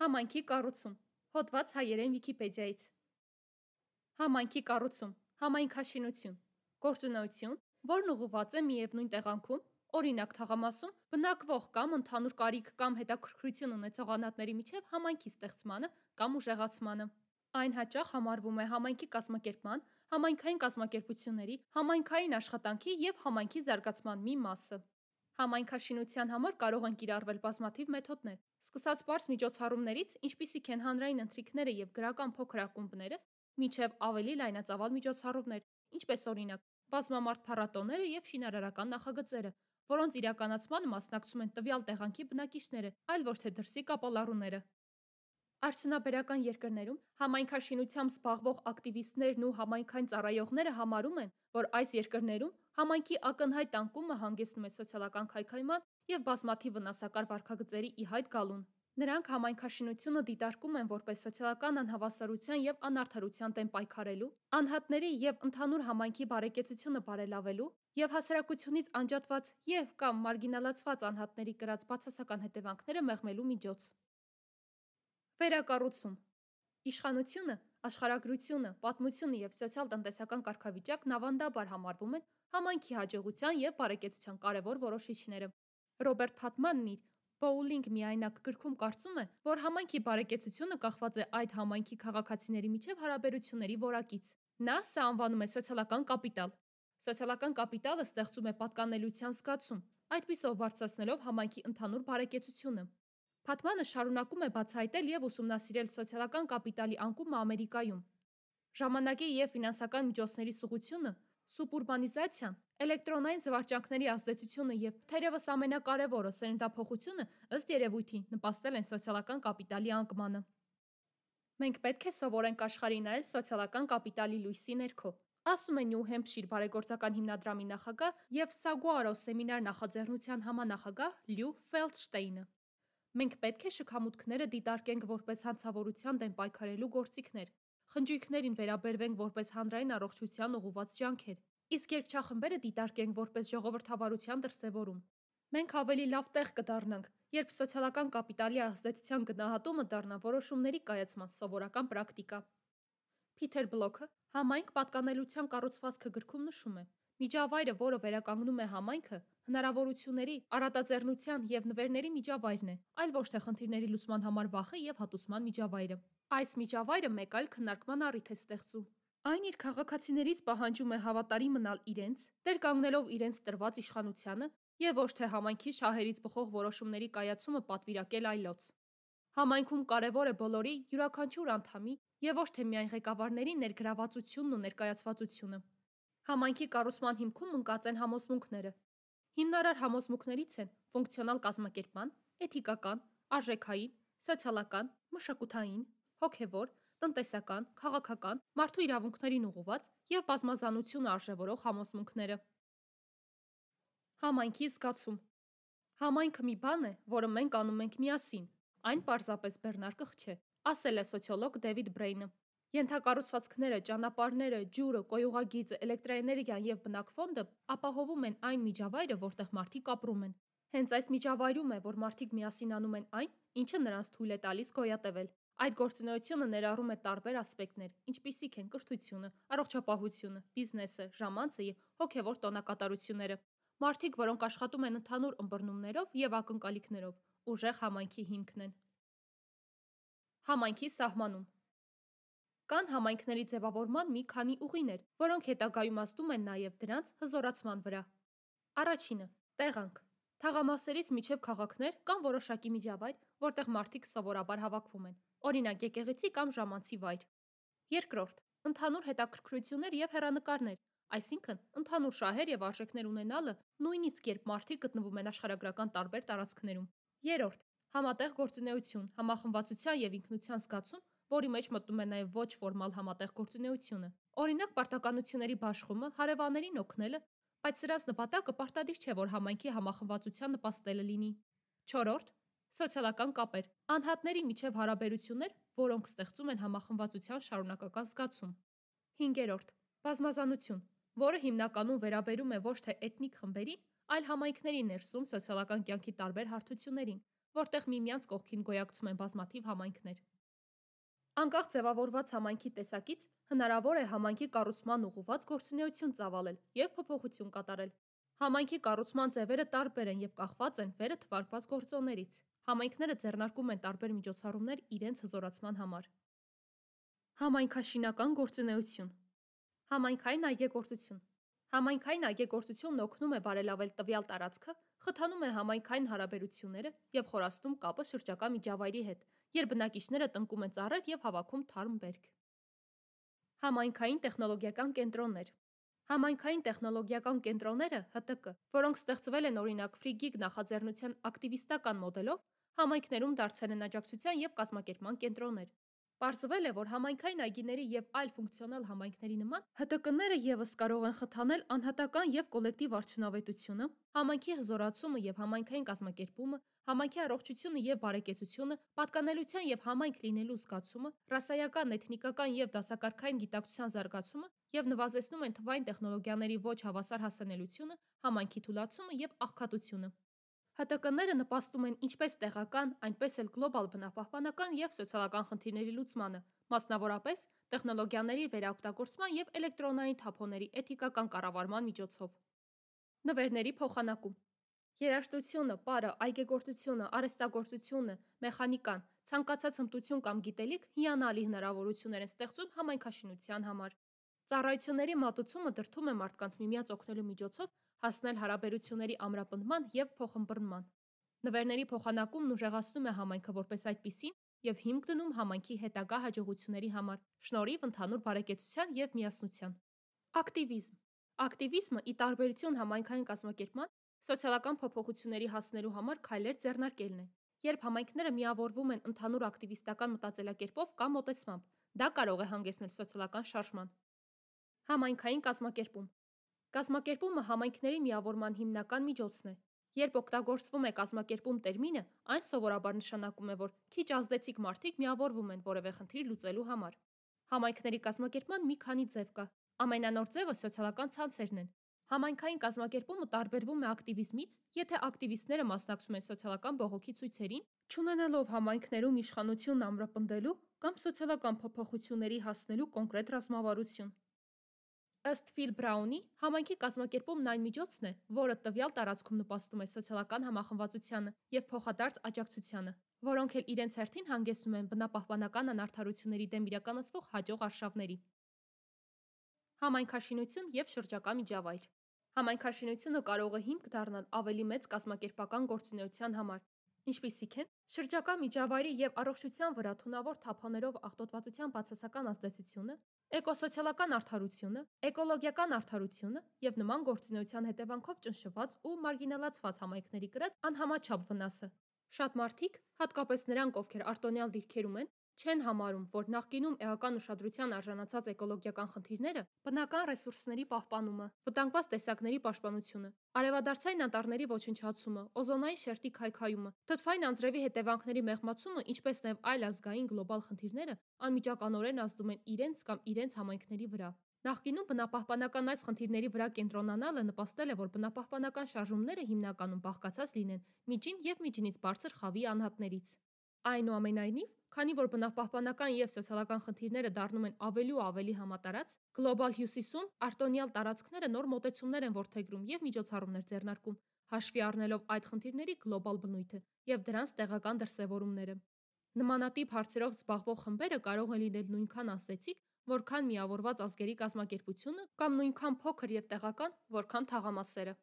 Համայնքի կառուցում։ Հոդված հայերեն Վիկիպեդիայից։ Համայնքի կառուցում, համայնքաշինություն, գործունեություն, որն ուղղված է միևնույն տեղանքում, օրինակ թաղամասում, բնակվող կամ ընդհանուր կարիք կամ հետաքրքրություն ունեցող անհատների միջև համայնքի ստեղծմանը կամ ուժեղացմանը։ Այն հաճախ համարվում է համայնքի կազմակերպման, համայնքային կազմակերպությունների, համայնքային աշխատանքի և համայնքի զարգացման մի մասը։ Համայնքաշինության համար կարող են կիրառվել բազմաթիվ մեթոդներ, սկսած պարզ միջոցառումներից, ինչպիսիք են հանրային ընթրիքները և գրական փոքր ակումբները, մինչև ավելի լայնածավալ միջոցառումներ, ինչպես օրինակ բազմամարդ փառատոները և շինարարական նախագծերը, որոնց իրականացմանը մասնակցում են տվյալ տեղանքի բնակիչները, այլ ոչ թե դրսի կապալառուները։ Արդյունաբերական երկրներում համայնքաշինությամբ զբաղվող ակտիվիստներն ու համայնքային ծառայողները համարում են, որ այս երկրներում համայնքի ակնհայտ անկումը հանգեցնում է սոցիալական քայքայման և բազմաթիվ վնասակար վարքագծերի ի հայտ գալուն։ Նրանք համայնքաշինությունը դիտարկում են որպես սոցիալական անհավասարության և անարդարության դեմ պայքարելու, անհատների և ընդհանուր համայնքի բարեկեցությունը բարելավելու և հասարակությունից անջատված և կամ մարգինալացված անհատների կրած բացասական հետևանքները մեղմելու միջոց։ Վերակառուցում։ Իշխանությունը, աշխարհագրությունը, պատմությունը և սոցիալ-տնտեսական կարգավիճակն ավանդաբար համարվում են համայնքի հաջողության և բարեկեցության կարևոր որոշիչները։ Ռոբերտ Փաթմանն իր «Բոուլինգ միայնակ» գրքում կարծում է, որ համայնքի բարեկեցությունը կախված է այդ համայնքի քաղաքացիների միջև հարաբերությունների որակից։ Նա սա անվանում է սոցիալական կապիտալ։ Սոցիալական կապիտալը ստեղծում է պատկանելության զգացում, այդպիսով բարձրացնելով համայնքի ընդհանուր բարեկեցությունը։ Փաթմանը շարունակում է բացահայտել և ուսումնասիրել սոցիալական կապիտալի անկումը Ամերիկայում։ Ժամանակի և ֆինանսական միջոցների սղությունը, սուբուրբանիզացիան, էլեկտրոնային զվարճանքների ազդեցությունը և, թերևս ամենակարևորը, սերնդափոխությունը ըստ երևույթի նպաստել են սոցիալական կապիտալի անկմանը։ Մենք պետք է սովորենք աշխարհին նայել սոցիալական կապիտալի լույսի ներքո, ասում է Նյու Հեմփշիր բարեգործական հիմնադրամի նախագահ և Սագուարո սեմինար նախաձեռնության համանախագահ Լյու Ֆելդշտեյնը։ Մենք պետք է շքամուտքները դիտարկենք որպես հանցավորության դեմ պայքարելու գործիքներ, խնջույքներին վերաբերվենք որպես հանրային առողջության ուղղված ջանքեր, իսկ երգչախմբերը դիտարկենք որպես ժողովրդավարության դրսևորում։ Մենք ավելի լավ տեղ կդառնանք, երբ սոցիալական կապիտալի ազդեցության գնահատումը դառնա որոշումների կայացման սովորական պրակտիկա։ Փիթեր Բլոքը «Համայնք պատկանելության կառուցվածքը» գրքում նշում է. միջավայրը, որը վերականգնում է համայնքը, հնարավորությունների, առատաձեռնության և նվերների միջավայրն է, այլ ոչ թե խնդիրների լուծման համար վախի և հատուցման միջավայրը։ Այս միջավայրը մեկ այլ քննարկման առիթ է ստեղծում։ Այն իր քաղաքացիներից պահանջում է հավատարիմ մնալ իրենց, տեր կանգնելով իրենց տրված իշխանությանը և ոչ թե համայնքի շահերից բխող որոշումների կայացումը պատվիրակել այլոց։ Համայնքում կարևոր է բոլորի, յուրաքանչյուր անդամի և ոչ թե միայն ղեկավարների ներգրավվածությունն ու ներկայացվածությունը։ Համայնքի կառուցման հիմքում ընկած են համոզմունքները։ Հիմնարար համոզմունքներից են ֆունկցիոնալ կազմակերպման, էթիկական, արժեքային, սոցիալական, մշակութային, հոգևոր, տնտեսական, քաղաքական, մարդու իրավունքներին ուղղված և բազմազանությունը արժևորող համոզմունքները։ Համայնքի զգացում։ Համայնքը մի բան է, որը մենք անում ենք միասին, այն պարզապես բեռնարկղ չէ, ասել է սոցիոլոգ Դեվիդ Բրեյնը։ Ենթակառուցվածքները, ճանապարհները, ջուրը, կոյուղագիծը, էլեկտրաէներգիան և բնակֆոնդը ապահովում են այն միջավայրը, որտեղ մարդիկ ապրում են։ Հենց այս միջավայրում է, որ մարդիկ միասին անում են այն, ինչը նրանց թույլ է տալիս գոյատևել։ Այդ գործունեությունը ներառում է տարբեր ասպեկտներ, ինչպիսիք են կրթությունը, առողջապահությունը, բիզնեսը, ժամանցը և հոգևոր տոնակատարությունները։ Մարդիկ, որոնք աշխատում են ընդհանուր ըմբռնումներով և ակնկալիքներով, ուժեղ համայնքի հիմքն են։ Համայնքի սահմանում։ Կան համայնքների ձևավորման մի քանի ուղիներ, որոնք հետագայում ազդում են նաև դրանց հզորացման վրա։ Առաջինը՝ տեղանք։ Թաղամասերից մինչև քաղաքներ կան որոշակի միջավայր, որտեղ մարդիկ սովորաբար հավաքվում են, օրինակ եկեղեցի կամ ժամանցի վայր։ Երկրորդ՝ ընդհանուր հետաքրքրություններ և հեռանկարներ, այսինքն ընդհանուր շահեր և արժեքներ ունենալը, նույնիսկ երբ մարդիկ գտնվում են աշխարհագրական տարբեր տարածքներում։ Երրորդ՝ համատեղ գործունեություն, համախմբվածության և ինքնության զգացում, որի մեջ մտնում է նաև ոչ ֆորմալ համատեղ գործունեությունը։ Օրինակ պարտականությունների բաշխումը, հարևաններին օգնելը, բայց սրանց նպատակը պարտադիր չէ, որ համայնքի համախմբվածության նպաստելը լինի։ Չորրորդ՝ սոցիալական կապեր, անհատների միջև հարաբերություններ, որոնք ստեղծում են համախմբվածության շարունակական զգացում։ Հինգերորդ՝ բազմազանություն, որը հիմնականում վերաբերում է ոչ թե էթնիկ խմբերին, այլ համայնքների ներսում սոցիալական կյանքի տարբեր հարթություններին, որտեղ միմյանց կողքին գոյակցում են բազմաթիվ համայնքներ։ Անկախ ձևավորված համայնքի տեսակից հնարավոր է համայնքի կառուցման ուղղված գործունեություն ծավալել և փոփոխություն կատարել։ Համայնքի կառուցման ձևերը տարբեր են և կախված են վերը թվարկված գործոններից։ Համայնքները ձեռնարկում են տարբեր միջոցառումներ իրենց հզորացման համար։ Համայնքաշինական գործունեություն։ Համայնքային այգեգործություն։ Համայնքային այգեգործությունն օգնում է բարելավել տվյալ տարածքը, խթանում է համայնքային հարաբերությունները և խորացնում կապը շրջակա միջավայրի հետ, երբ բնակիչները տնկում են ծառեր և հավաքում թարմ բերք։ Համայնքային տեխնոլոգիական կենտրոններ։ Համայնքային տեխնոլոգիական կենտրոնները ՀՏԿ, որոնք ստեղծվել են օրինակ Ֆրիգիգ նախաձեռնության ակտիվիստական մոդելով, համայնքներում դարձել են աջակցության և կազմակերպման կենտրոններ։ Պարզվել է, որ համայնքային այգիների և այլ ֆունկցիոնալ համայնքների նման ՀՏԿ-ները ևս կարող են խթանել անհատական և կոլեկտիվ արդյունավետությունը, համայնքի հզորացումը և համայնքային կազմակերպումը, համայնքի առողջությունը և բարեկեցությունը, պատկանելության և համայնք լինելու զգացումը, ռասայական, էթնիկական և դասակարգային գիտակցության զարգացումը և նվազեցնում են թվային տեխնոլոգիաների ոչ հավասար հասանելիությունը, համայնքի թուլացումը և աղքատությունը։ ՀՏԿ-ները նպաստում են ինչպես տեղական, այնպես էլ գլոբալ բնապահպանական և սոցիալական խնդիրների լուծմանը, մասնավորապես տեխնոլոգիաների վերաօգտագործման և էլեկտրոնային թափոնների էթիկական կառավարման միջոցով։ Նվերների փոխանակում։ Երաժշտությունը, պարը, այգեգործությունը, արհեստագործությունը, մեխանիկան, ցանկացած հմտություն կամ գիտելիք հիանալի հնարավորություններ են ստեղծում համայնքաշինության համար։ Ծառայությունների մատուցումը դրդում է մարդկանց միմյանց օգնելու միջոցով հասնել հարաբերությունների ամրապնդման և փոխըմբռնման։ Նվերների փոխանակումն ուժեղացնում է համայնքը որպես այդպիսին և հիմք դնում համայնքի հետագա հաջողությունների համար, շնորհիվ ընդհանուր բարեկեցության և միասնության։ Ակտիվիզմ։ Ակտիվիզմը, ի տարբերություն համայնքային կազմակերպման, սոցիալական փոփոխությունների հասնելու համար քայլեր ձեռնարկելն է։ Երբ համայնքները միավորվում են ընդհանուր ակտիվիստական մտածելակերպով կամ մոտեցմամբ, դա կարող է հանգեցնել սոցիալական շարժման։ Համայնքային կազմակերպում։ Կազմակերպումը համայնքների միավորման հիմնական միջոցն է։ Երբ օգտագործվում է կազմակերպում տերմինը, այն սովորաբար նշանակում է, որ քիչ ազդեցիկ մարդիկ միավորվում են որևէ խնդիր լուծելու համար։ Համայնքների կազմակերպման մի քանի ձև կա։ Ամենանոր ձևը սոցիալական ցանցերն են։ Համայնքային կազմակերպումը տարբերվում է ակտիվիզմից, եթե ակտիվիստները մասնակցում են սոցիալական բողոքի ցույցերին, չունենալով համայնքներում իշխանությունն ամրապնդելու կամ սոցիալական փոփոխությունների հասնելու կոնկրետ ռազմավարություն։ Ըստ Ֆիլ Բրաունի, համայնքի կազմակերպումն այն միջոցն է, որը տվյալ տարածքում նպաստում է սոցիալական համախմբվածությանը և փոխադարձ աջակցությանը, որոնք էլ իրենց հերթին հանգեցնում են բնապահպանական անարդարությունների դեմ իրականացվող հաջող արշավների։ Համայնքաշինություն և շրջակա միջավայր։ Համայնքաշինությունը կարող է հիմք դառնալ ավելի մեծ կազմակերպական գործունեության համար, ինչպիսիք են շրջակա միջավայրի և առողջության վրա թունավոր թափոններով աղտոտվածության բացասական ազդեցությունը, էկոսոցիալական արդարությունը, էկոլոգիական արդարությունը և նման գործունեության հետևանքով ճնշված ու մարգինալացված համայնքների կրած անհամաչափ վնասը։ Շատ մարդիկ, հատկապես նրանք, ովքեր արտոնյալ դիրքերում են, չեն համարում, որ նախկինում էական ուշադրության արժանացած էկոլոգիական խնդիրները, բնական ռեսուրսների պահպանումը, վտանգված տեսակների պաշտպանությունը, արևադարձային անտառների ոչնչացումը, օզոնային շերտի քայքայումը, թթվային անձրևի հետևանքների մեղմացումը, ինչպես նաև այլ ազգային գլոբալ խնդիրները անմիջականորեն ազդում են իրենց կամ իրենց համայնքների վրա։ Նախկինում բնապահպանական այս խնդիրների վրա կենտրոնանալը նպաստել է, որ բնապահպանական շարժումները հիմնականում բաղկացած լինեն միջին և միջինից բարձր խավի անհատներից։ Այնուամենայնիվ, քանի որ բնապահպանական և սոցիալական խնդիրները դառնում են ավելի ու ավելի համատարած, Գլոբալ Հյուսիսում արտոնյալ տարածքները նոր մոտեցումներ են որդեգրում և միջոցառումներ ձեռնարկում, հաշվի առնելով այդ խնդիրների գլոբալ բնույթը և դրանց տեղական դրսևորումները։ Նմանատիպ հարցերով զբաղվող խմբերը կարող են լինել նույնքան ազդեցիկ, որքան միավորված ազգերի կազմակերպությունը կամ նույնքան փոքր և տեղական, որքան թաղամասերը։